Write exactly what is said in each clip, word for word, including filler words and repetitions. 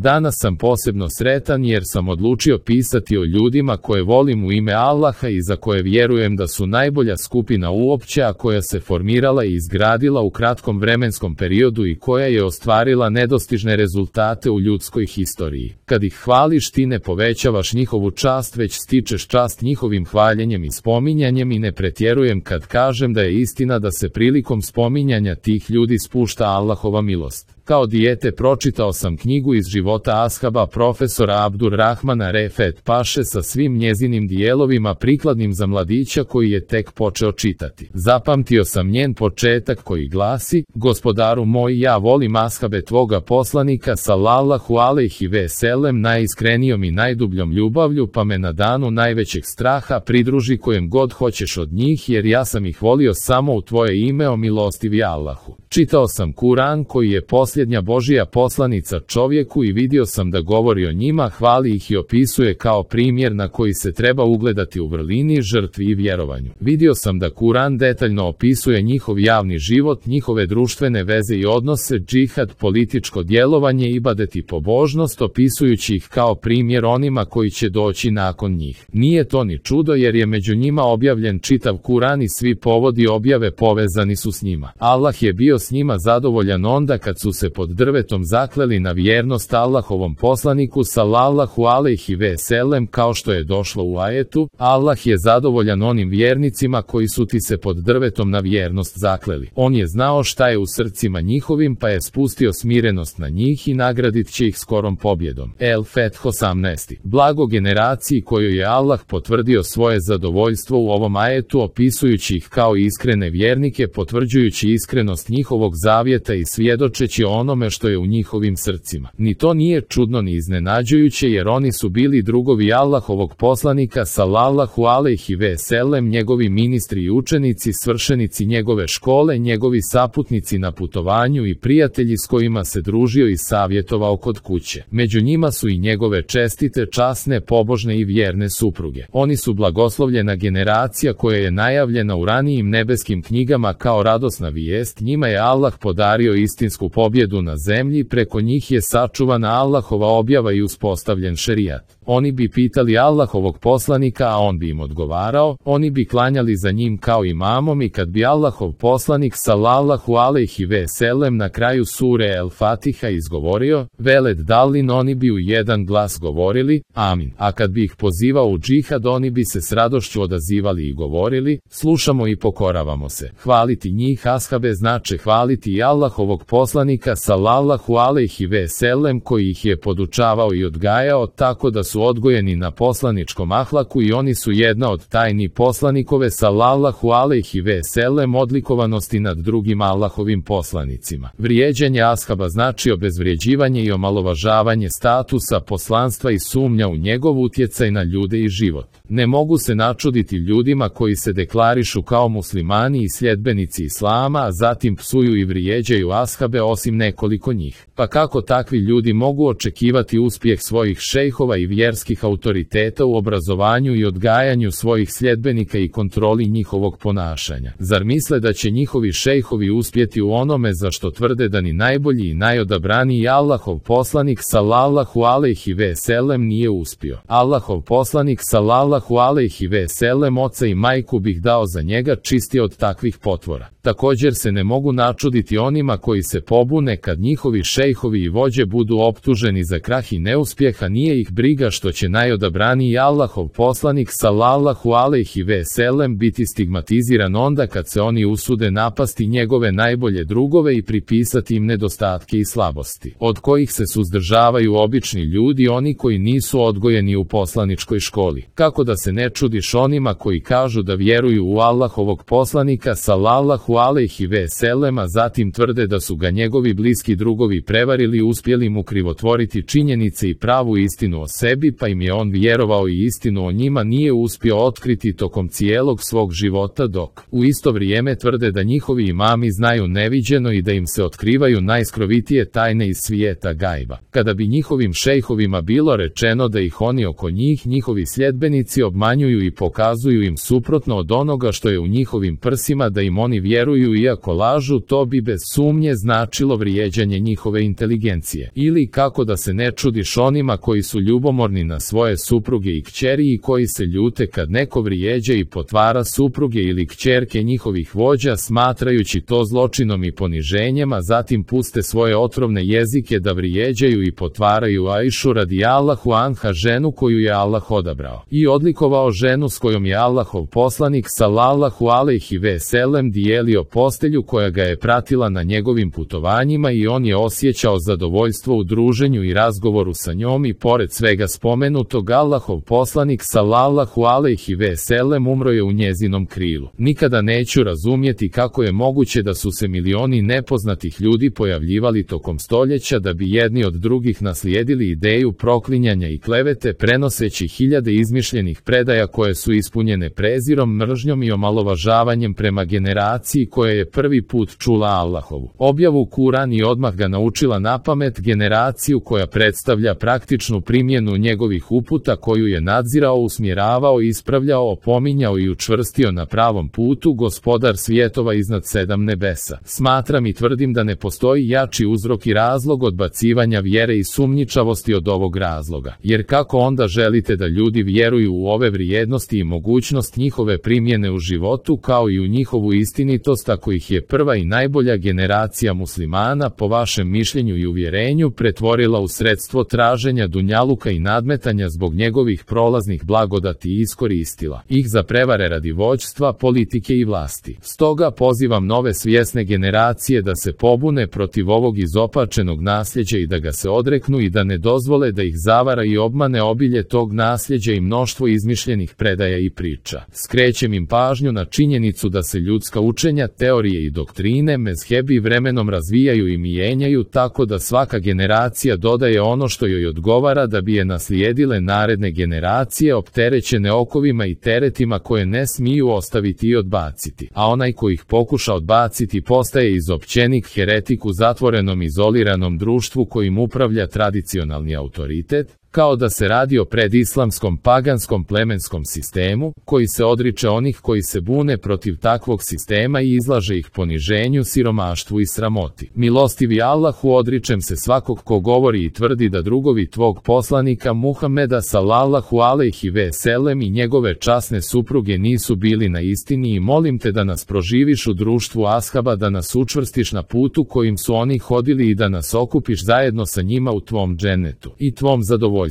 Danas sam posebno sretan jer sam odlučio pisati o ljudima koje volim u ime Allaha i za koje vjerujem da su najbolja skupina uopće, a koja se formirala i izgradila u kratkom vremenskom periodu i koja je ostvarila nedostižne rezultate u ljudskoj historiji. Kad ih hvališ, ti ne povećavaš njihovu čast, već stičeš čast njihovim hvaljenjem i spominjanjem, i ne pretjerujem kad kažem da je istina da se prilikom spominjanja tih ljudi spušta Allahova milost. Kao dijete pročitao sam knjigu iz života ashaba profesora Abdurrahmana Refet Paše sa svim njezinim dijelovima prikladnim za mladića koji je tek počeo čitati. Zapamtio sam njen početak koji glasi: Gospodaru moj, ja volim ashabe tvoga poslanika sallallahu alejhi ve sellem najiskrenijom i najdubljom ljubavlju, pa me na danu najvećeg straha pridruži kojem god hoćeš od njih, jer ja sam ih volio samo u tvoje ime, o milostivi Allahu. Čitao sam Kuran koji je posljednja Božija poslanica čovjeku i vidio sam da govori o njima, hvali ih i opisuje kao primjer na koji se treba ugledati u vrlini, žrtvi i vjerovanju. Vidio sam da Kuran detaljno opisuje njihov javni život, njihove društvene veze i odnose, džihad, političko djelovanje, ibadet i pobožnost, opisujući ih kao primjer onima koji će doći nakon njih. Nije to ni čudo jer je među njima objavljen čitav Kuran i svi povodi objave povezani su s njima. Allah je bio s njima zadovoljan onda kad su se pod drvetom zakleli na vjernost Allahovom poslaniku sallallahu alejhi ve sellem, kao što je došlo u ajetu: Allah je zadovoljan onim vjernicima koji su ti se pod drvetom na vjernost zakleli. On je znao šta je u srcima njihovim, pa je spustio smirenost na njih i nagradit će ih skorom pobjedom. El Feth osamnaest. Blago generaciji kojoj je Allah potvrdio svoje zadovoljstvo u ovom ajetu, opisujući ih kao iskrene vjernike, potvrđujući iskrenost njihovog zavjeta i svjedočeći o onome što je u njihovim srcima. Ni to nije čudno ni iznenađujuće, jer oni su bili drugovi Allahovog poslanika sallallahu alejhi ve sellem, njegovi ministri i učenici, svršenici njegove škole, njegovi saputnici na putovanju i prijatelji s kojima se družio i savjetovao kod kuće. Među njima su i njegove čestite, časne, pobožne i vjerne supruge. Oni su blagoslovljena generacija koja je najavljena u ranijim nebeskim knjigama kao radosna vijest. Njima je Allah podario istinsku pobjedu na zemlji, preko njih je sačuvana Allahova objava i uspostavljen šerijat. Oni bi pitali Allahovog poslanika, a on bi im odgovarao. Oni bi klanjali za njim kao imamom, i kad bi Allahov poslanik sallallahu alejhi ve sellem na kraju sure El Fatiha izgovorio veled dalin, oni bi u jedan glas govorili amin. A kad bi ih pozivao u džihad, oni bi se s radošću odazivali i govorili: slušamo i pokoravamo se. Hvaliti njih ashabe znače hvaliti i Allahovog poslanika sallallahu alejhi ve sellem koji ih je podučavao i odgajao tako da su odgojeni na poslaničkom ahlaku, i oni su jedna od tajni poslanikove sallallahu alejhi ve sellem odlikovanosti nad drugim Allahovim poslanicima. Vrijeđanje ashaba znači obezvrijeđivanje i omalovažavanje statusa poslanstva i sumnja u njegov utjecaj na ljude i život. Ne mogu se načuditi ljudima koji se deklarišu kao muslimani i sljedbenici islama, a zatim psuju i vrijeđaju ashabe, osim nekoliko njih. Pa kako takvi ljudi mogu očekivati uspjeh svojih šejhova i vjerskih autoriteta u obrazovanju i odgajanju svojih sljedbenika i kontroli njihovog ponašanja? Zar misle da će njihovi šejhovi uspjeti u onome za što tvrde da ni najbolji i najodabraniji Allahov poslanik sallallahu alejhi ve sellem nije uspio? Allahov poslanik sallallahu alejhi ve sellem oca i majku bih dao za njega čisti od takvih potvora. Također se ne mogu načuditi onima koji se pobune kad njihovi šejhovi i vođe budu optuženi za krah i neuspjeha. Nije ih briga što će najodabraniji Allahov poslanik sallallahu alejhi ve sellem biti stigmatiziran onda kad se oni usude napasti njegove najbolje drugove i pripisati im nedostatke i slabosti, od kojih se suzdržavaju obični ljudi, oni koji nisu odgojeni u poslaničkoj školi. Kako da se ne čudiš onima koji kažu da vjeruju u Allahovog poslanika sallallahu alejhi ve sellem, a zatim tvrde da su ga njegovi bliski drugovi prevarili i uspjeli mu krivotvoriti činjenice i pravu istinu o sebi, pa im je on vjerovao i istinu o njima nije uspio otkriti tokom cijelog svog života, dok u isto vrijeme tvrde da njihovi imami znaju neviđeno i da im se otkrivaju najskrovitije tajne iz svijeta gajba. Kada bi njihovim šejhovima bilo rečeno da ih oni oko njih, njihovi sljedbenici, obmanjuju i pokazuju im suprotno od onoga što je u njihovim prsima, da im oni vjeruju vjeruju iako lažu, to bi bez sumnje značilo vrijeđanje njihove inteligencije. Ili kako da se ne čudiš onima koji su ljubomorni na svoje supruge i kćeri i koji se ljute kad neko vrijeđa i potvara supruge ili kćerke njihovih vođa, smatrajući to zločinom i poniženjem, a zatim puste svoje otrovne jezike da vrijeđaju i potvaraju Ajšu radi Allahu anha, ženu koju je Allah odabrao i odlikovao, ženu s kojom je Allahov poslanik sallallahu alejhi ve sellem dijelio postelju, koja ga je pratila na njegovim putovanjima i on je osjećao zadovoljstvo u druženju i razgovoru sa njom. I pored svega spomenutog, Allahov poslanik sallallahu alejhi ve sellem umro je u njezinom krilu. Nikada neću razumjeti kako je moguće da su se milioni nepoznatih ljudi pojavljivali tokom stoljeća da bi jedni od drugih naslijedili ideju proklinjanja i klevete, prenoseći hiljade izmišljenih predaja koje su ispunjene prezirom, mržnjom i omalovažavanjem prema generaciji koja je prvi put čula Allahovu objavu Kuran i odmah ga naučila napamet, generaciju koja predstavlja praktičnu primjenu njegovih uputa, koju je nadzirao, usmjeravao, ispravljao, opominjao i učvrstio na pravom putu Gospodar svjetova iznad sedam nebesa. Smatram i tvrdim da ne postoji jači uzrok i razlog odbacivanja vjere i sumnjičavosti od ovog razloga. Jer kako onda želite da ljudi vjeruju u ove vrijednosti i mogućnost njihove primjene u životu, kao i u njihovu istinitost, ako ih je prva i najbolja generacija muslimana, po vašem mišljenju i uvjerenju, pretvorila u sredstvo traženja dunjaluka i nadmetanja zbog njegovih prolaznih blagodati i iskoristila ih za prevare radi vođstva, politike i vlasti. Stoga pozivam nove svjesne generacije da se pobune protiv ovog izopačenog nasljeđa i da ga se odreknu i da ne dozvole da ih zavara i obmane obilje tog nasljeđa i mnoštvo izmišljenih predaja i priča. Skrećem im pažnju na činjenicu da se ljudska učenja, teorije i doktrine, mezhebi vremenom razvijaju i mijenjaju, tako da svaka generacija dodaje ono što joj odgovara da bi je naslijedile naredne generacije, opterećene okovima i teretima koje ne smiju ostaviti i odbaciti. A onaj ko ih pokuša odbaciti postaje izopćenik, heretik u zatvorenom, izoliranom društvu kojim upravlja tradicionalni autoritet, kao da se radi o predislamskom paganskom plemenskom sistemu, koji se odriče onih koji se bune protiv takvog sistema i izlaže ih poniženju, siromaštvu i sramoti. Milostivi Allahu, odričem se svakog ko govori i tvrdi da drugovi tvog poslanika Muhameda sallallahu alejhi ve sellem i njegove časne supruge nisu bili na istini, i molim te da nas proživiš u društvu ashaba, da nas učvrstiš na putu kojim su oni hodili i da nas okupiš zajedno sa njima u tvom džennetu i tvom zadovoljstvu.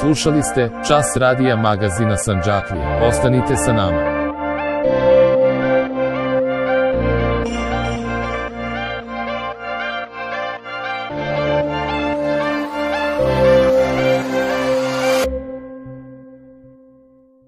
Slušali ste Čas radija magazina Sandžaklija. Ostanite sa nama.